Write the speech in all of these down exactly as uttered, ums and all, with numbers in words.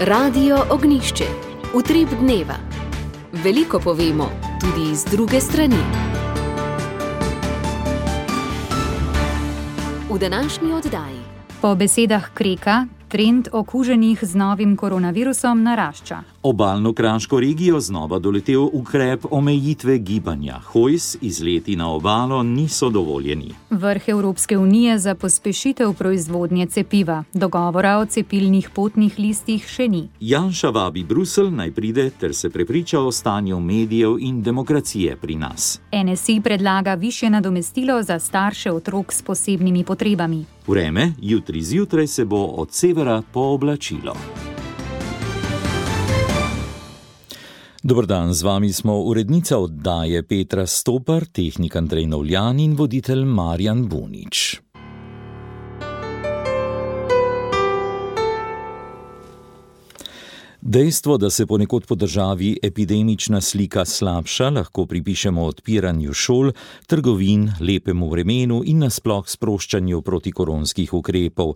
Radio Ognjišče. Utrip dneva. Veliko povemo, tudi iz druge strani. V današnji oddaji. Po besedah Kreka, trend okuženih z novim koronavirusom narašča. Obalno kraško regijo znova doletel ukrep omejitve gibanja. Hojs, izleti na obalo niso dovoljeni. Vrh Evropske unije za pospešitev proizvodnje cepiva. Dogovora o cepilnih potnih listih še ni. Janša vabi Bruselj naj pride ter se prepriča o stanju medijev in demokracije pri nas. N S I predlaga višje nadomestilo za starše otrok s posebnimi potrebami. Vreme, jutri zjutraj se bo od severa pooblačilo. Dober dan, z vami smo urednica oddaje Petra Stopar, tehnik Andrej Novljan in voditelj Marjan Bunič. Dejstvo, da se ponekod po državi epidemična slika slabša, lahko pripišemo odpiranju šol, trgovin, lepemu vremenu in nasploh sproščanju protikoronskih ukrepov.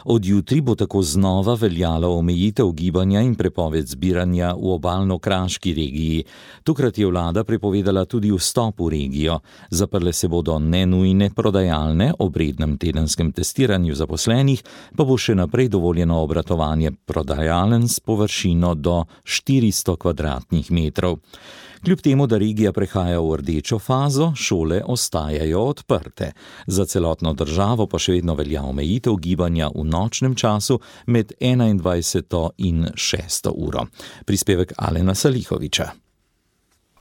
Od jutri bo tako znova veljala omejitev gibanja in prepoved zbiranja v obalno-kraški regiji. Tokrat je vlada prepovedala tudi vstop v regijo. Zaprle se bodo nenujne prodajalne, ob rednem tedenskem testiranju zaposlenih pa bo še naprej dovoljeno obratovanje prodajalen s površin do štiristo kvadratnih metrov. Kljub temu, da regija prehaja v rdečo fazo, šole ostajajo odprte. Za celotno državo pa še vedno velja omejitev gibanja v nočnem času med enaindvajseto in šesto uro. Prispevek Alena Salihoviča.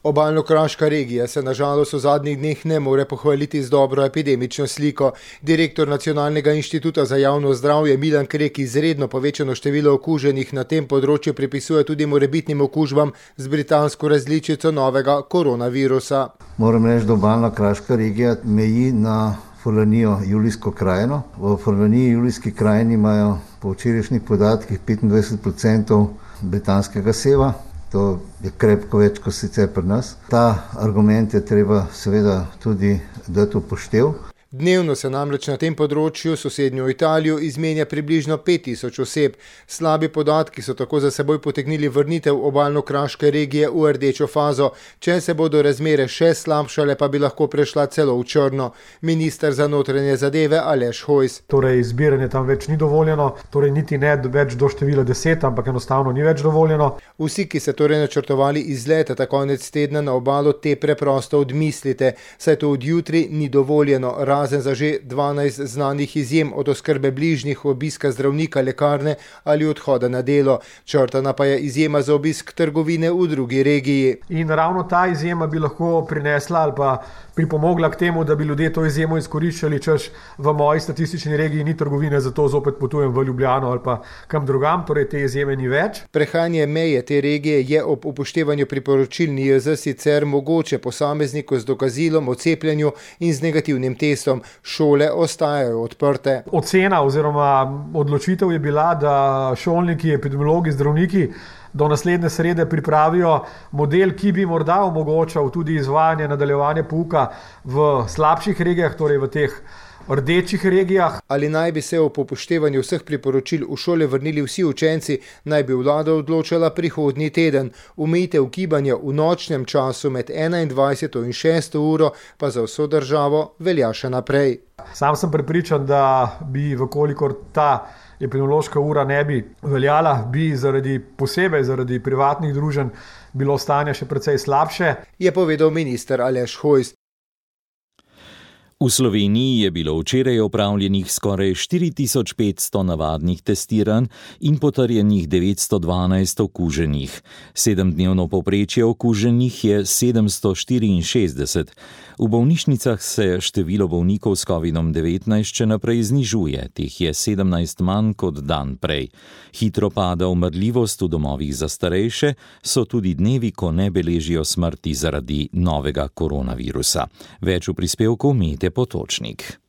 Obalno-kraška regija se nažalost v zadnjih dneh ne more pohvaliti z dobro epidemično sliko. Direktor Nacionalnega inštituta za javno zdravje Milan Krek izredno povečano število okuženih na tem področju pripisuje tudi morebitnim okužbam z britansko različico novega koronavirusa. Moram reči, da obalno-kraška regija meji na Furlanijo Julijsko krajino. V Furlaniji Julijski krajini imajo po včerajšnjih podatkih petindvajset procentov britanskega seva. To je krepko več kot sicer pri nas. Ta argument je treba seveda tudi dati upoštev. Dnevno se namreč na tem področju sosednjo Italijo izmenja približno pet tisoč oseb. Slabi podatki so tako za seboj potegnili vrnitev obalno-kraške regije v rdečo fazo. Če se bodo razmere še slabšale, pa bi lahko prešla celo v črno. Minister za notranje zadeve Aleš Hojs. Torej, zbiranje tam več ni dovoljeno, torej niti ne več do števila deset, ampak enostavno ni več dovoljeno. Vsi, ki se torej načrtovali izlete ta konec tedna na obalo, te preprosto odmislite, saj to od jutri ni dovoljeno, razen za že dvanajst znanih izjem od oskrbe bližnjih, obiska zdravnika, lekarne ali odhoda na delo. Črtana pa je izjema za obisk trgovine v drugi regiji. In ravno ta izjema bi lahko prinesla ali pa pripomogla k temu, da bi ljudje to izjemo izkoriščali, češ v moji statistični regiji ni trgovine, zato zopet potujem v Ljubljano ali pa kam drugam, torej te izjeme ni več. Prehajanje meje te regije je ob upoštevanju priporočil N I J Z sicer mogoče posamezniku z dokazilom o cepljenju in z negativnim testom. Šole ostajajo odprte. Ocena oziroma odločitev je bila, da šolniki, epidemiologi, zdravniki do naslednje srede pripravijo model, ki bi morda omogočal tudi izvajanje, nadaljevanje pouka v slabših regijah, torej v teh rdečih regijah. Ali naj bi se ob upoštevanju vseh priporočil v šole vrnili vsi učenci, naj bi vlada odločala prihodnji teden. Omejitev gibanja v nočnem času med enaindvajseto in šesto uro pa za vso državo velja še naprej. Sam sem prepričan, da bi, vkolikor ta epidemiološka ura ne bi veljala, bi zaradi posebej zaradi privatnih druženj bilo stanje še precej slabše, je povedal minister Aleš Hojs. V Sloveniji je bilo včeraj opravljenih skoraj štiri tisoč petsto navadnih testiranj in potrjenih devetsto dvanajst okuženih. Sedemdnevno povprečje okuženih je sedemsto štiriinšestdeset. V bolnišnicah se število bolnikov s kovidom devetnajst še naprej znižuje, teh je sedemnajst manj kot dan prej. Hitro pada umrljivost v domovih za starejše, so tudi dnevi, ko ne beležijo smrti zaradi novega koronavirusa. Več v prispevku Mete Potočnik.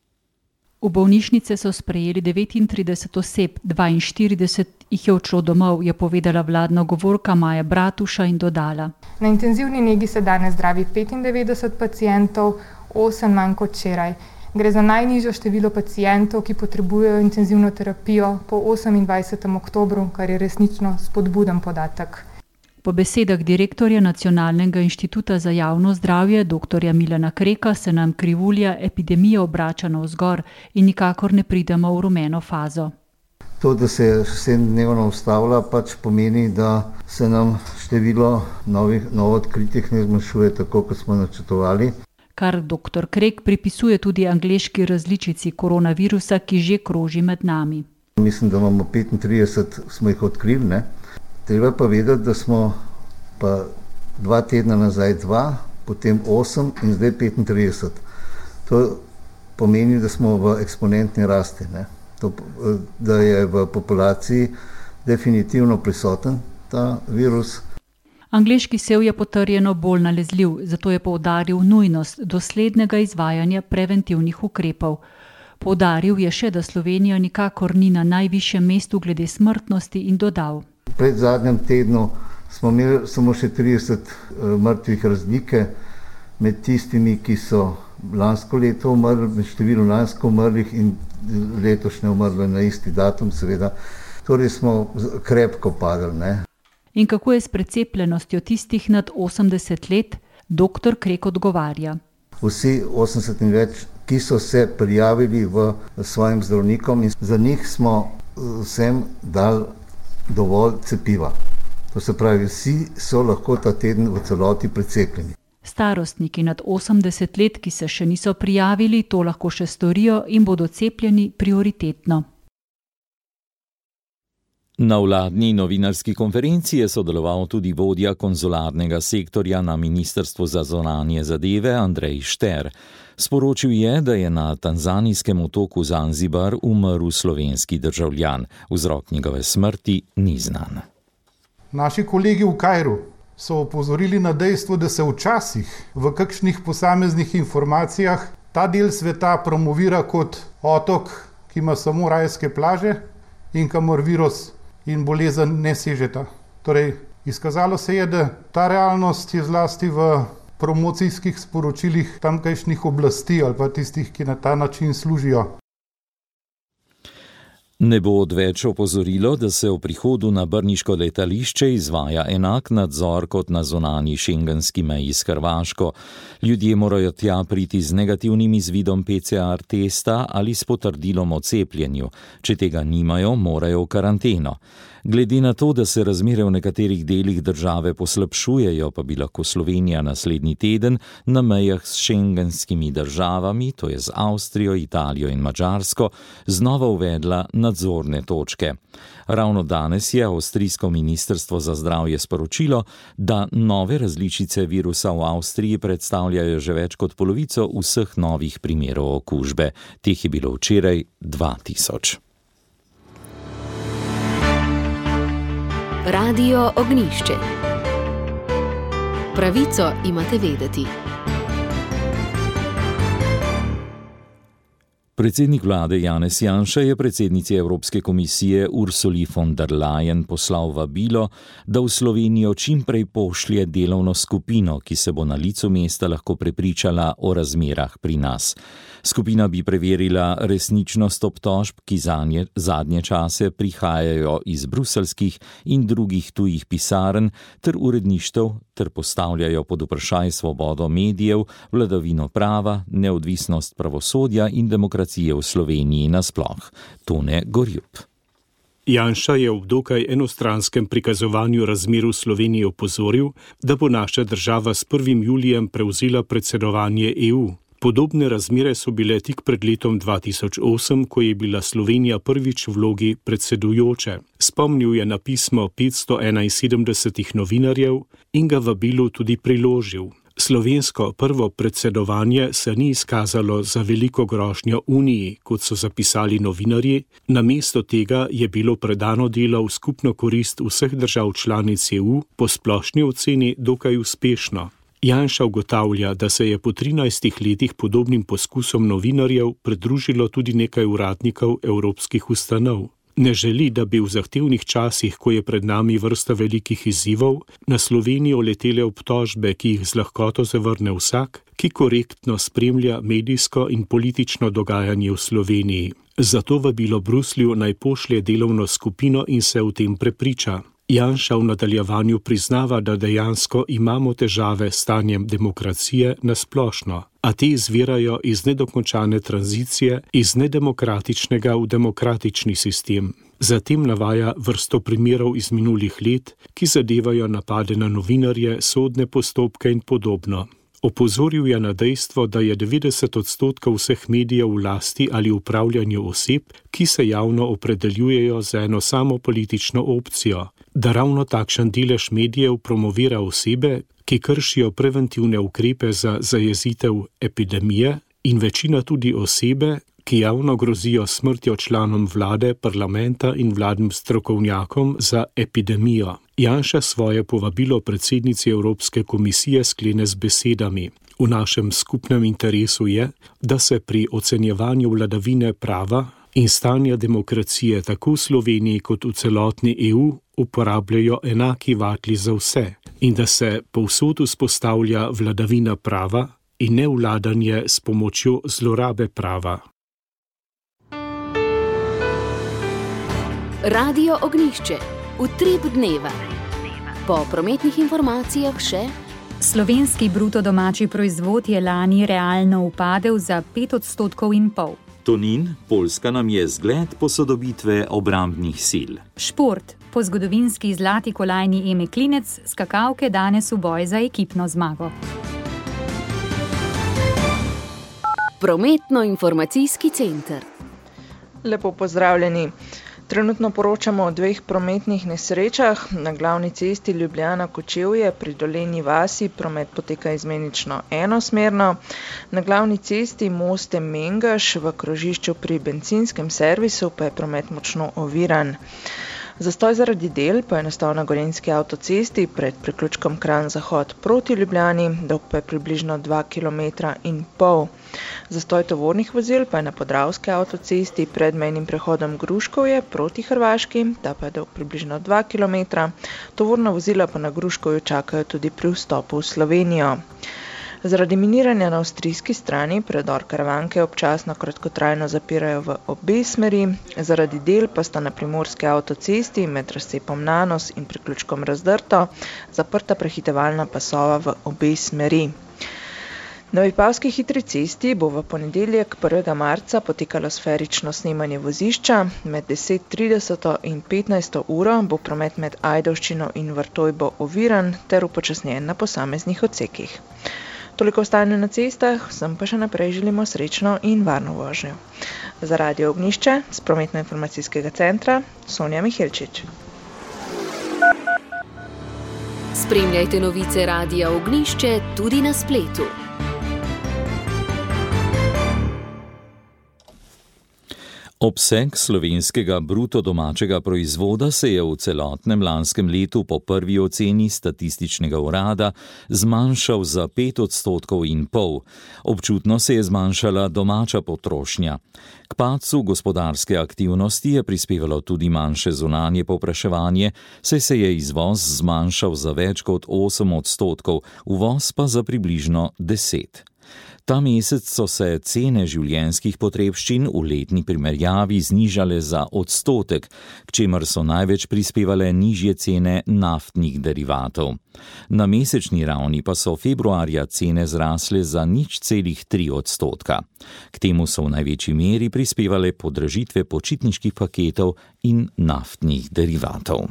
V bolnišnice so sprejeli devetintrideset oseb, dvainštirideset jih je odšlo domov, je povedala vladna govorka Maja Bratuša in dodala. Na intenzivni negi se danes zdravi petindevetdeset pacientov, osem manj kot včeraj. Gre za najnižjo število pacientov, ki potrebujejo intenzivno terapijo po osemindvajsetem oktobru, kar je resnično spodbuden podatek. Po besedah direktorja Nacionalnega inštituta za javno zdravje, doktorja Milana Kreka, se nam krivulja epidemije obrača navzgor in nikakor ne pridemo v rumeno fazo. To, da se sedemdnevno ustavlja, pač pomeni, da se nam število novih, novo odkritih ne zmanjšuje tako, kot smo načrtovali. Kar doktor Krek pripisuje tudi angleški različici koronavirusa, ki že kroži med nami. Mislim, da imamo petintrideset, smo jih odkrili, ne? Treba pa vedeti, da smo pa dva tedna nazaj dva, potem osem in zdaj petintrideset. To pomeni, da smo v eksponentni rasti, ne? To, da je v populaciji definitivno prisoten ta virus. Angleški sev je potrjeno bolj nalezljiv, zato je poudaril nujnost doslednega izvajanja preventivnih ukrepov. Poudaril je še, da Slovenija nikakor ni na najvišjem mestu glede smrtnosti in dodal. Pred zadnjem tednu smo imeli samo še trideset mrtvih razlike med tistimi, ki so lansko leto umrli, med številom lansko umrlih in letošnje umrli na isti datum, seveda. Torej smo krepko padli, ne. In kako je s precepljenostjo tistih nad osemdeset let, doktor Krek odgovarja. Vsi osemdeset in več, ki so se prijavili v svojim zdravnikom in za njih smo vsem dali dovolj cepiva. To se pravi, vsi so lahko ta teden v celoti precepljeni. Starostniki nad osemdeset let, ki se še niso prijavili, to lahko še storijo in bodo cepljeni prioritetno. Na vladni novinarski konferenci je sodeloval tudi vodja konzularnega sektorja na Ministrstvu za zunanje zadeve Andrej Šter. Sporočil je, da je na tanzanijskem otoku Zanzibar umrl slovenski državljan. Vzrok njegove smrti ni znan. Naši kolegi v Kairu so opozorili na dejstvo, da se včasih v kakšnih posameznih informacijah ta del sveta promovira kot otok, ki ima samo rajske plaže in kamor virus in bolezen ne sežeta. Torej, izkazalo se je, da ta realnost je zlasti v promocijskih sporočilih tamkajšnjih oblasti ali pa tistih, ki na ta način služijo. Ne bo odveč opozorilo, da se v prihodu na brniško letališče izvaja enak nadzor kot na zunanji šengenski meji s Hrvaško. Ljudje morajo tja priti z negativnim izvidom P C R testa ali s potrdilom o cepljenju. Če tega nimajo, morajo v karanteno. Glede na to, da se razmere v nekaterih delih države poslabšujejo, pa bi lahko Slovenija naslednji teden na mejah s šengenskimi državami, to je z Avstrijo, Italijo in Madžarsko, znova uvedla nadzorne točke. Ravno danes je avstrijsko ministrstvo za zdravje sporočilo, da nove različice virusa v Avstriji predstavljajo že več kot polovico vseh novih primerov okužbe. Teh je bilo včeraj dva tisoč. Radio Ognjišče. Pravico imate vedeti. Predsednik vlade Janez Janša je predsednici Evropske komisije Ursuli von der Leyen poslal vabilo, da v Slovenijo čim prej pošlje delovno skupino, ki se bo na licu mesta lahko prepričala o razmerah pri nas. Skupina bi preverila resničnost obtožb, ki zanje, zadnje čase prihajajo iz bruselskih in drugih tujih pisarn ter uredništev ter postavljajo pod vprašaj svobodo medijev, vladavino prava, neodvisnost pravosodja in demokracije v Sloveniji nasploh. Tone Gorjup. Janša je ob dokaj enostranskem prikazovanju razmer v Sloveniji opozoril, da bo naša država s prvim julijem prevzela predsedovanje E U. Podobne razmere so bile tik pred letom dva tisoč osem, ko je bila Slovenija prvič v vlogi predsedujoče. Spomnil je na pismo petsto enainsedemdesetih novinarjev in ga vabilu tudi priložil. Slovensko prvo predsedovanje se ni izkazalo za veliko grožnjo Uniji, kot so zapisali novinarji, namesto tega je bilo predano delo v skupno korist vseh držav članic E U po splošni oceni dokaj uspešno. Janša ugotavlja, da se je po trinajstih letih podobnim poskusom novinarjev pridružilo tudi nekaj uradnikov evropskih ustanov. Ne želi, da bi v zahtevnih časih, ko je pred nami vrsta velikih izzivov, na Slovenijo letele obtožbe, ki jih z lahkoto zavrne vsak, ki korektno spremlja medijsko in politično dogajanje v Sloveniji. Zato vabilo Bruslju naj pošlje delovno skupino in se v tem prepriča. Janša v nadaljevanju priznava, da dejansko imamo težave s stanjem demokracije na splošno, a te izvirajo iz nedokončane tranzicije iz nedemokratičnega v demokratični sistem. Zatem navaja vrsto primerov iz minulih let, ki zadevajo napade na novinarje, sodne postopke in podobno. Opozoril je na dejstvo, da je devetdeset odstotkov vseh medijev v lasti ali upravljanju oseb, ki se javno opredeljujejo za eno samo politično opcijo, da ravno takšen delež medijev promovira osebe, ki kršijo preventivne ukrepe za zajezitev epidemije in večina tudi osebe, ki javno grozijo smrtjo članom vlade, parlamenta in vladnim strokovnjakom za epidemijo. Janša svoje povabilo predsednici Evropske komisije sklene z besedami: v našem skupnem interesu je, da se pri ocenjevanju vladavine prava in stanja demokracije tako v Sloveniji kot v celotni E U uporabljajo enaki vatli za vse in da se povsod vzpostavlja vladavina prava in ne vladanje s pomočjo zlorabe prava. Radio Ognjišče, utrip dneva. Po prometnih informacijah še: slovenski bruto domači proizvod je lani realno upadel za pet odstotkov in pol. Tonin, Poljska nam je zgled posodobitve obrambnih sil. Šport, po zgodovinski zlati kolajni Eme Klinec, skakalke danes v boj za ekipno zmago. Prometno-informacijski center. Lepo pozdravljeni. Trenutno poročamo o dveh prometnih nesrečah. Na glavni cesti Ljubljana-Kočevje pri Dolenji vasi promet poteka izmenično enosmerno. Na glavni cesti Moste-Mengeš v krožišču pri bencinskem servisu pa je promet močno oviran. Zastoj zaradi del pa je nastal na Gorenjski avtocesti pred priključkom Kranj-Zahod proti Ljubljani, dolg pa je približno dva kilometra in pol. Zastoj tovornih vozil pa je na Podravski avtocesti pred mejnim prehodom Gruškovje proti Hrvaški, ta pa je dolg približno dva kilometra. Tovorna vozila pa na Gruškovju čakajo tudi pri vstopu v Slovenijo. Zaradi miniranja na avstrijski strani predor Karavanke občasno kratkotrajno zapirajo v obe smeri, zaradi del pa sta na Primorski avtocesti med razcepom Nanos in priključkom Razdrto zaprta prehitevalna pasova v obe smeri. Na Vipavski hitri cesti bo v ponedeljek prvega marca potekalo sferično snemanje vozišča. Med deset trideset in petnajsto uro bo promet med Ajdovščino in Vrtojbo oviran ter upočasnjen na posameznih odsekih. Toliko stanja na cestah, vsem pa še naprej želimo srečno in varno vožnjo. Za Radio Ognjišče z prometno-informacijskega centra Sonja Mihelčič. Spremljajte novice Radia Ognjišče tudi na spletu. Obseg slovenskega bruto domačega proizvoda se je v celotnem lanskem letu po prvi oceni statističnega urada zmanjšal za pet odstotkov in pol. Občutno se je zmanjšala domača potrošnja. K padcu gospodarske aktivnosti je prispevalo tudi manjše zunanje povpraševanje, saj se je izvoz zmanjšal za več kot osem odstotkov, uvoz pa za približno deset. Ta mesec so se cene življenjskih potrebščin v letni primerjavi znižale za odstotek, k čemer so največ prispevale nižje cene naftnih derivatov. Na mesečni ravni pa so februarja cene zrasle za nič celih tri odstotka. K temu so v največji meri prispevale podražitve počitniških paketov in naftnih derivatov.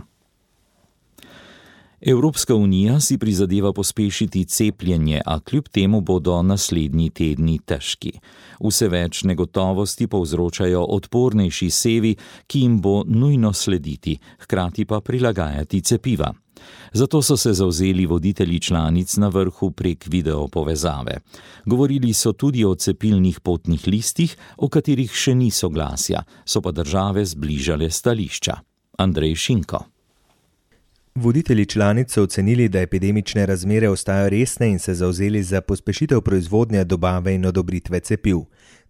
Evropska unija si prizadeva pospešiti cepljenje, a kljub temu bodo naslednji tedni težki. Vse več negotovosti povzročajo odpornejši sevi, ki jim bo nujno slediti, hkrati pa prilagajati cepiva. Zato so se zavzeli voditelji članic na vrhu prek videopovezave. Govorili so tudi o cepilnih potnih listih, o katerih še ni soglasja, so pa države zbližale stališča. Andrej Šinko. Voditelji članic so ocenili, da epidemične razmere ostajajo resne in se zavzeli za pospešitev proizvodnje, dobave in odobritve cepiv.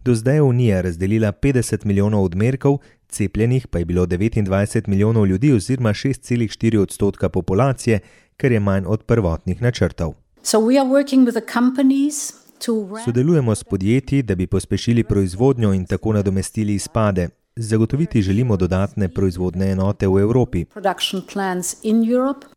Do zdaj je Unija razdelila petdeset milijonov odmerkov, cepljenih pa je bilo devetindvajset milijonov ljudi oziroma šest celih štiri odstotka populacije, kar je manj od prvotnih načrtov. Sodelujemo s podjetji, da bi pospešili proizvodnjo in tako nadomestili izpade. Zagotoviti želimo dodatne proizvodne enote v Evropi,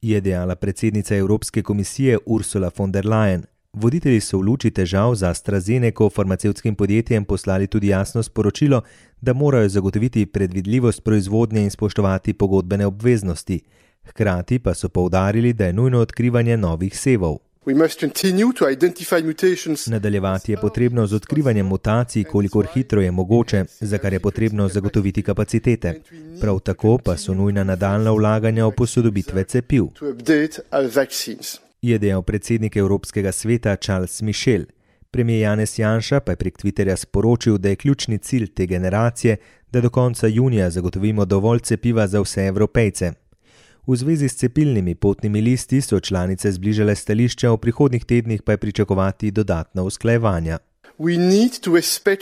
je dejala predsednica Evropske komisije Ursula von der Leyen. Voditelji so v luči težav za AstraZeneco farmacevtskim podjetjem poslali tudi jasno sporočilo, da morajo zagotoviti predvidljivost proizvodnje in spoštovati pogodbene obveznosti. Hkrati pa so poudarili, da je nujno odkrivanje novih sevov. Nadaljevati je potrebno z odkrivanjem mutacij, kolikor hitro je mogoče, za kar je potrebno zagotoviti kapacitete. Prav tako pa so nujna nadaljnja vlaganja v posodobitve cepiv, je dejal predsednik Evropskega sveta Charles Michel. Premijer Janez Janša pa je prek Twitterja sporočil, da je ključni cilj te generacije, da do konca junija zagotovimo dovolj cepiva za vse Evropejce. V zvezi s cepilnimi potnimi listi so članice zbližale stališča, v prihodnjih tednih pa je pričakovati dodatna usklajevanja.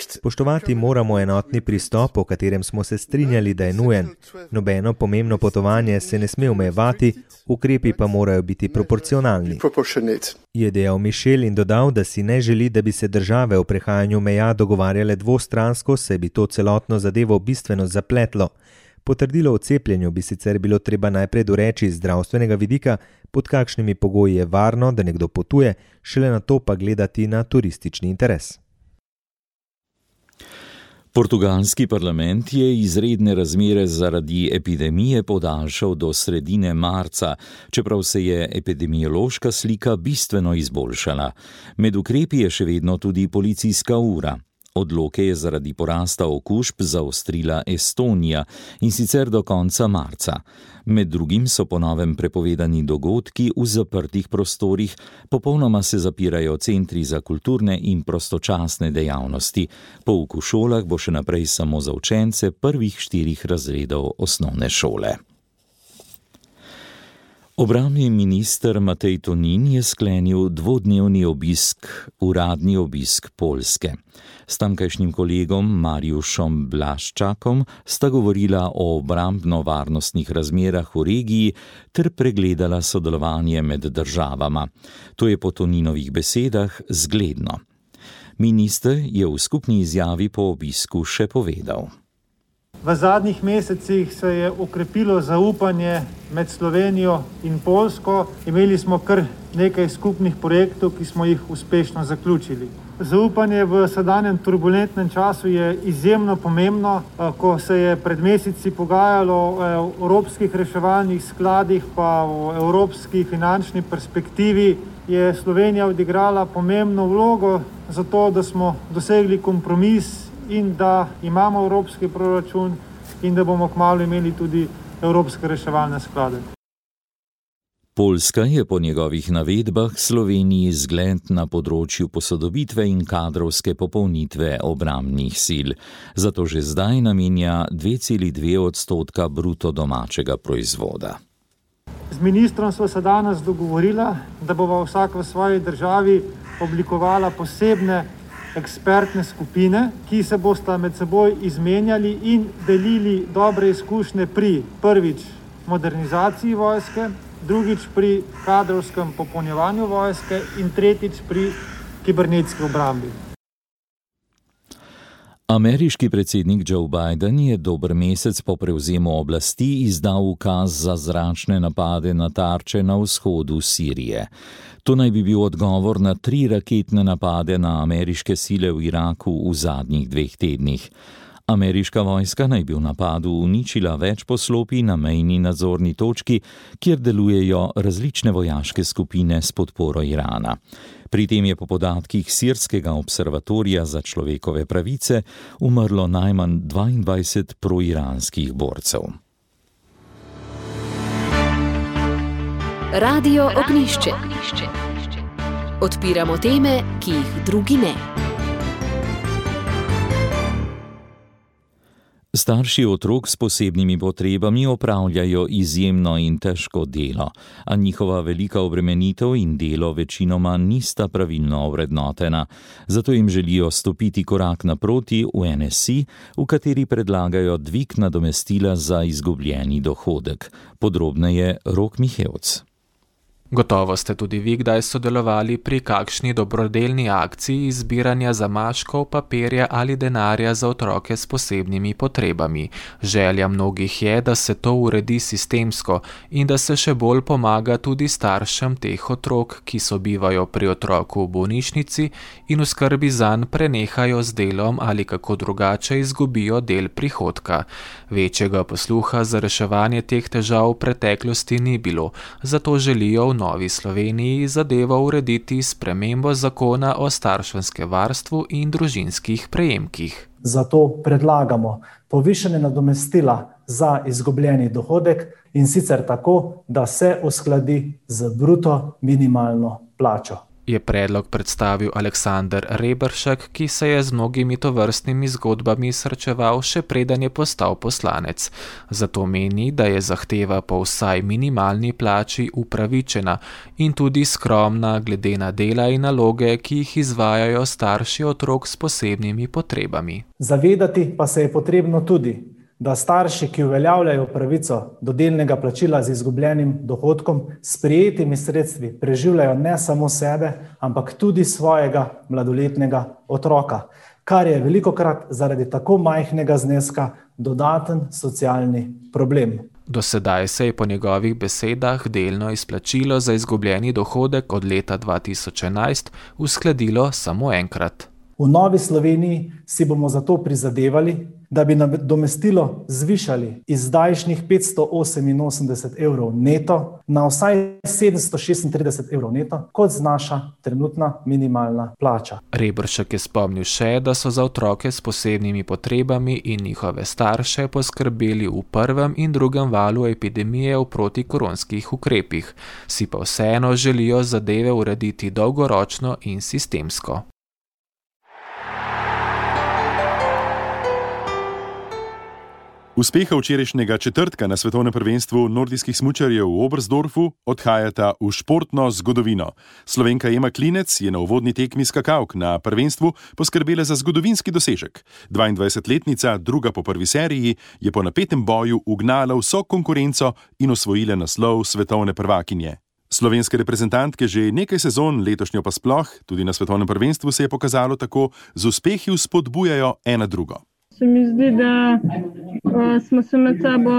Spoštovati moramo enotni pristop, o katerem smo se strinjali, da je nujen. Nobeno pomembno potovanje se ne sme omejevati, ukrepi pa morajo biti proporcionalni, je dejal Michel in dodal, da si ne želi, da bi se države o prehajanju meja dogovarjale dvostransko, saj bi to celotno zadevo bistveno zapletlo. Potrdilo o cepljenju bi sicer bilo treba najprej doreči iz zdravstvenega vidika, pod kakšnimi pogoji je varno, da nekdo potuje, šele na to pa gledati na turistični interes. Portugalski parlament je izredne razmere zaradi epidemije podaljšal do sredine marca, čeprav se je epidemiološka slika bistveno izboljšala. Med ukrepi je še vedno tudi policijska ura. Odloke je zaradi porasta okužb zaostrila Estonija in sicer do konca marca. Med drugim so po novem prepovedani dogodki v zaprtih prostorih, popolnoma se zapirajo centri za kulturne in prostočasne dejavnosti. Pouk v šolah bo še naprej samo za učence prvih štirih razredov osnovne šole. Obrambni minister Matej Tonin je sklenil dvodnevni obisk, uradni obisk Poljske. S tamkajšnjim kolegom Mariuszem Blaszczakom sta govorila o obrambno-varnostnih razmerah v regiji ter pregledala sodelovanje med državama. To je po Toninovih besedah zgledno. Minister je v skupni izjavi po obisku še povedal. V zadnjih mesecih se je okrepilo zaupanje med Slovenijo in Poljsko. Imeli smo kar nekaj skupnih projektov, ki smo jih uspešno zaključili. Zaupanje v sedanjem turbulentnem času je izjemno pomembno. Ko se je pred meseci pogajalo o evropskih reševalnih skladih pa o evropski finančni perspektivi, je Slovenija odigrala pomembno vlogo za to, da smo dosegli kompromis in da imamo evropski proračun in da bomo kmalu imeli tudi evropske reševalne sklade. Poljska je po njegovih navedbah Sloveniji zgled na področju posodobitve in kadrovske popolnitve obrambnih sil. Zato že zdaj namenja dve celi dve odstotka bruto domačega proizvoda. Z ministrom sva se danes dogovorila, da bova vsak v svoji državi oblikovala posebne ekspertne skupine, ki se bosta med seboj izmenjali in delili dobre izkušnje pri prvič modernizaciji vojske, drugič pri kadrovskem popolnjevanju vojske in tretjič pri kibernetski obrambi. Ameriški predsednik Joe Biden je dober mesec po prevzemu oblasti izdal ukaz za zračne napade na tarče na vzhodu Sirije. To naj bi bil odgovor na tri raketne napade na ameriške sile v Iraku v zadnjih dveh tednih. Ameriška vojska naj bi v napadu uničila več poslopij na mejni nadzorni točki, kjer delujejo različne vojaške skupine s podporo Irana. Pri tem je po podatkih Sirskega observatorija za človekove pravice umrlo najmanj dvaindvajset proiranskih borcev. Radio Ognjišče. Odpiramo teme, ki jih drugi ne. Starši otrok s posebnimi potrebami opravljajo izjemno in težko delo, a njihova velika obremenitev in delo večinoma nista pravilno ovrednotena. Zato jim želijo stopiti korak naproti v N S I, v kateri predlagajo dvig nadomestila za izgubljeni dohodek. Podrobneje Rok Mihevc. Gotovo ste tudi vi kdaj sodelovali pri kakšni dobrodelni akciji zbiranja zamaškov, papirja ali denarja za otroke s posebnimi potrebami. Želja mnogih je, da se to uredi sistemsko in da se še bolj pomaga tudi staršem teh otrok, ki sobivajo pri otroku v bolnišnici in v skrbi zanj prenehajo z delom ali kako drugače izgubijo del prihodka. Večjega posluha za reševanje teh težav v preteklosti ni bilo, zato želijo v Novi Sloveniji zadevo urediti s spremembo zakona o starševskem varstvu in družinskih prejemkih. Zato predlagamo povišanje nadomestila za izgubljeni dohodek in sicer tako, da se uskladi z bruto minimalno plačo. Je predlog predstavil Aleksander Reberšek, ki se je z mnogimi tovrstnimi zgodbami srečeval še preden je postal poslanec. Zato meni, da je zahteva po vsaj minimalni plači upravičena in tudi skromna glede na dela in naloge, ki jih izvajajo starši otrok s posebnimi potrebami. Zavedati pa se je potrebno tudi, da starši, ki uveljavljajo pravico do delnega plačila z izgubljenim dohodkom, s prejetimi sredstvi preživljajo ne samo sebe, ampak tudi svojega mladoletnega otroka, kar je velikokrat zaradi tako majhnega zneska dodaten socialni problem. Do sedaj se je po njegovih besedah delno izplačilo za izgubljeni dohodek od leta dva tisoč enajst uskladilo samo enkrat. V Novi Sloveniji si bomo zato prizadevali, da bi nadomestilo zvišali iz zdajšnjih petsto oseminosemdeset evrov neto na vsaj sedemsto šestintrideset evrov neto, kot znaša trenutna minimalna plača. Reberšek je spomnil še, da so za otroke s posebnimi potrebami in njihove starše poskrbeli v prvem in drugem valu epidemije v protikoronskih ukrepih, si pa vseeno želijo zadeve urediti dolgoročno in sistemsko. Uspeha včerajšnjega četrtka na svetovnem prvenstvu nordijskih smučarjev v Oberstdorfu odhajata v športno zgodovino. Slovenka Ema Klinec je na uvodni tekmi skakavk na prvenstvu poskrbela za zgodovinski dosežek. dvaindvajsetletnica, druga po prvi seriji, je po napetem boju ugnala vso konkurenco in osvojila naslov svetovne prvakinje. Slovenske reprezentantke že nekaj sezon, letošnjo pa sploh, tudi na svetovnem prvenstvu se je pokazalo tako, z uspehi vzpodbujajo ena drugo. Se mi zdi, da uh, smo se med sabo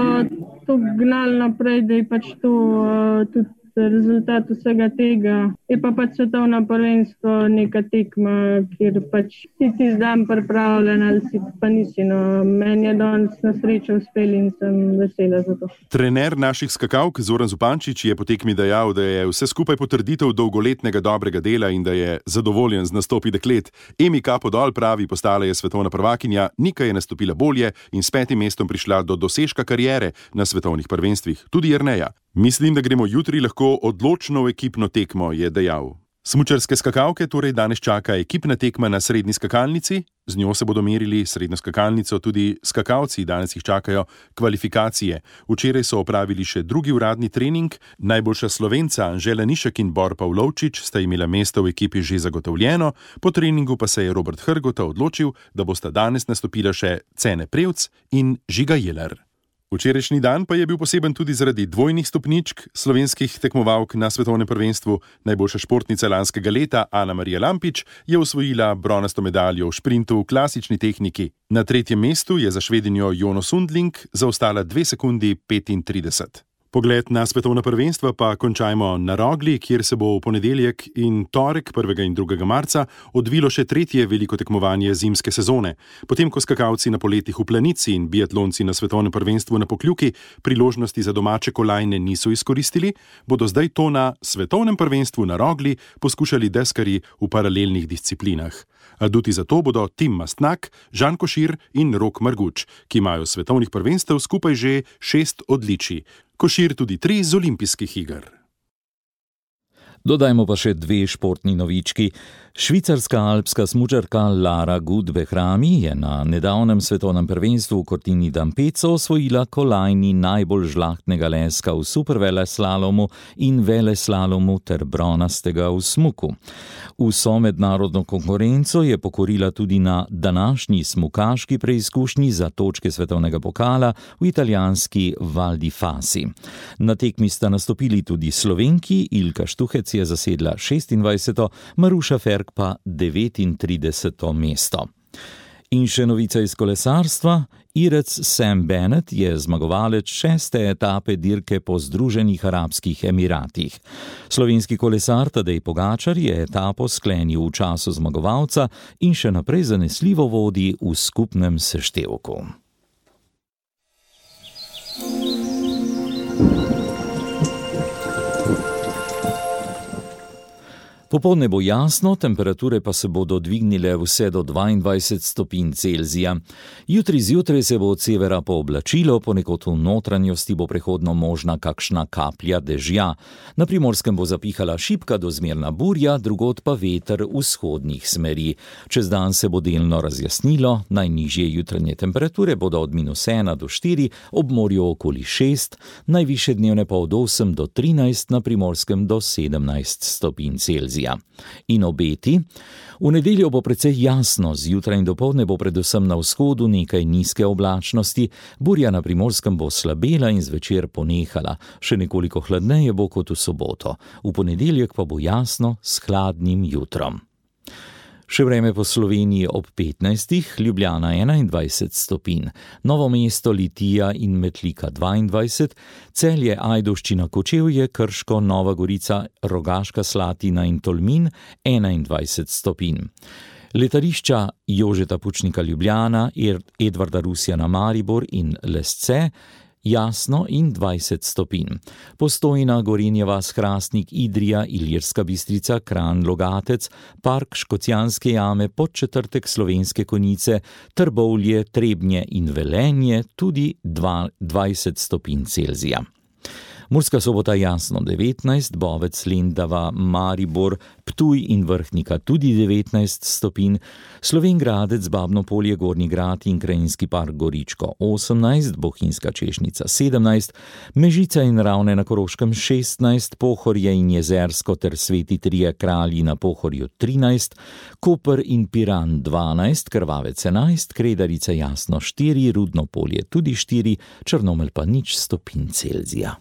to gnali naprej, da je pač to uh, tudi rezultat vsega tega. Je pa pač svetovno prvenstvo neka tekma, kjer pač si ti zdaj pripravljen ali si pa nisi. No, meni je danes na srečo uspel in sem vesela za to. Trener naših skakavk Zoran Zupančič je po tekmi dejal, da je vse skupaj potrditev dolgoletnega dobrega dela in da je zadovoljen z nastopi deklet. Emi kapo dol, pravi, postala je svetovna prvakinja, Nika je nastopila bolje in s petim mestom prišla do dosežka kariere na svetovnih prvenstvih, tudi Jerneja. Mislim, da gremo jutri lahko odločno v ekipno tekmo, je dejal. Smučarske skakavke torej danes čaka ekipna tekma na srednji skakalnici, z njo se bodo merili srednjo skakalnico tudi skakalci, danes jih čakajo kvalifikacije. Včeraj so opravili še drugi uradni trening, najboljša Slovenca Anžela Nišek in Bor Pavlovčič sta imela mesto v ekipi že zagotovljeno, po treningu pa se je Robert Hrgota odločil, da bosta danes nastopila še Cene Prevc in Žiga Jeler. Včerajšnji dan pa je bil poseben tudi zaradi dvojnih stopničk slovenskih tekmovalk na svetovnem prvenstvu. Najboljša športnica lanskega leta Ana Marija Lampič je osvojila bronasto medaljo v šprintu v klasični tehniki. Na tretjem mestu je za Švedinjo Jono Sundling zaostala dve sekundi petintrideset. Pogled na svetovna prvenstva pa končajmo na Rogli, kjer se bo v ponedeljek in torek prvega in drugega marca odvilo še tretje veliko tekmovanje zimske sezone. Potem, ko skakalci na poletih v Planici in biatlonci na svetovnem prvenstvu na Pokljuki priložnosti za domače kolajne niso izkoristili, bodo zdaj to na svetovnem prvenstvu na Rogli poskušali deskarji v paralelnih disciplinah. Aduti za to bodo Tim Mastnak, Žan Košir in Rok Marguč, ki imajo svetovnih prvenstev skupaj že šest odličij. Košir tudi tri z olimpijskih iger. Dodajmo pa še dve športni novički. Švicarska alpska smučarka Lara Gut-Behrami je na nedavnem svetovnem prvenstvu v Cortina d'Ampezzo osvojila kolajni najbolj žlahtnega leska v superveleslalomu in veleslalomu ter bronastega v smuku. Vso mednarodno konkurenco je pokorila tudi na današnji smukaški preizkušnji za točke svetovnega pokala v italijanski Val di Fasi. Na tekmi sta nastopili tudi Slovenki, Ilka Štuhec je zasedla šestindvajseto, Maruša Ferk pa devetintrideseto mesto. In še novica iz kolesarstva. Irec Sam Bennett je zmagovalec šeste etape dirke po Združenih arabskih emiratih. Slovenski kolesar Tadej Pogačar je etapo sklenil v času zmagovalca in še naprej zanesljivo vodi v skupnem seštevku. Popoldne bo jasno, temperature pa se bodo dvignile vse do dvaindvajset stopinj Celzija. Jutri zjutraj se bo od severa pooblačilo, ponekod v notranjosti bo prehodno možna kakšna kaplja dežja. Na Primorskem bo zapihala šibka do zmerna burja, drugod pa veter vzhodnih smeri. Čez dan se bo delno razjasnilo, najnižje jutranje temperature bodo od minus ena do štiri, ob morju okoli šest, najvišje dnevne pa od osem do trinajst, na Primorskem do sedemnajst stopinj Celzija. In obeti. V nedeljo bo precej jasno, zjutraj in dopoldne bo predvsem na vzhodu nekaj nizke oblačnosti, burja na Primorskem bo slabela in zvečer ponehala, še nekoliko hladneje bo kot v soboto. V ponedeljek pa bo jasno s hladnim jutrom. Še vreme po Sloveniji ob petnajstih, Ljubljana enaindvajset stopinj, Novo mesto, Litija in Metlika dvaindvajset, Celje, Ajdovščina, Kočevje, Krško, Nova Gorica, Rogaška Slatina in Tolmin enaindvajset stopinj. Letališča Jožeta Pučnika Ljubljana, Edvarda Rusjana Maribor in Lesce jasno in dvajset stopinj. Postojna, Gorenjeva, Hrastnik, Idrija, Ilirska Bistrica, Kranj, Logatec, Park Škocjanske jame, Podčetrtek, Slovenske Konjice, Trbovlje, Trebnje in Velenje tudi dvajset stopinj Celzija. Murska Sobota jasno devetnajst, Bovec, Lendava, Maribor, Ptuj in Vrhnika tudi devetnajst stopinj, Slovenj Gradec, Babno Polje, Gornji Grad in Krajinski park Goričko osemnajst, Bohinjska Češnica sedemnajst, Mežica in Ravne na Koroškem šestnajst, Pohorje in Jezersko ter Sveti Trije Kralji na Pohorju trinajst, Koper in Piran dvanajst, Krvavec enajst, Kredarica jasno štiri, Rudno Polje tudi štiri, Črnomelj pa nič stopinj Celzija.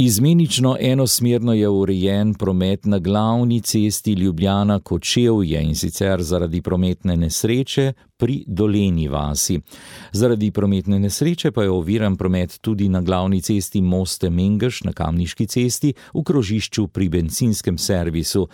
Izmenično enosmerno je urejen promet na glavni cesti Ljubljana-Kočevje in sicer zaradi prometne nesreče pri Dolenji vasi. Zaradi prometne nesreče pa je oviran promet tudi na glavni cesti Moste-Mengeš na Kamniški cesti v krožišču pri bencinskem servisu.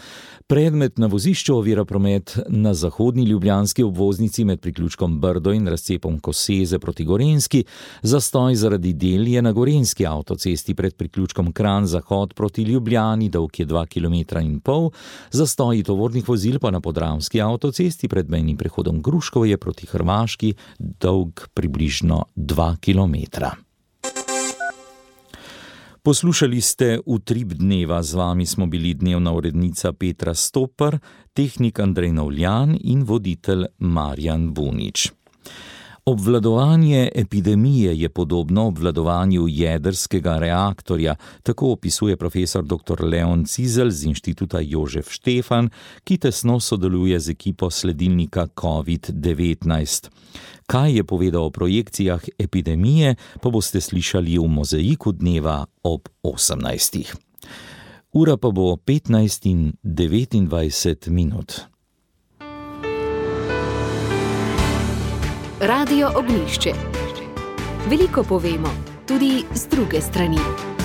Predmet na vozišču ovira promet na zahodni ljubljanski obvoznici med priključkom Brdo in razcepom Koseze proti Gorenjski, zastoj zaradi del je na gorenjski avtocesti pred priključkom Kranj Zahod proti Ljubljani, dolg je dva kilometra in pol, zastoji tovornih vozil pa na Podravski avtocesti pred mejnim prehodom Gruškovje proti Hrvaški, dolg približno dva kilometra. Poslušali ste Utrip dneva, z vami smo bili dnevna urednica Petra Stopar, tehnik Andrej Novljan in voditelj Marjan Bunič. Obvladovanje epidemije je podobno obvladovanju jedrskega reaktorja, tako opisuje profesor doktor Leon Cizelj z Inštituta Jožef Štefan, ki tesno sodeluje z ekipo sledilnika covid devetnajst. Kaj je povedal o projekcijah epidemije, pa boste slišali v Mozaiku dneva ob osemnajstih. Ura pa bo petnajst in devetindvajset minut. Radio Ognjišče. Veliko povemo, tudi z druge strani.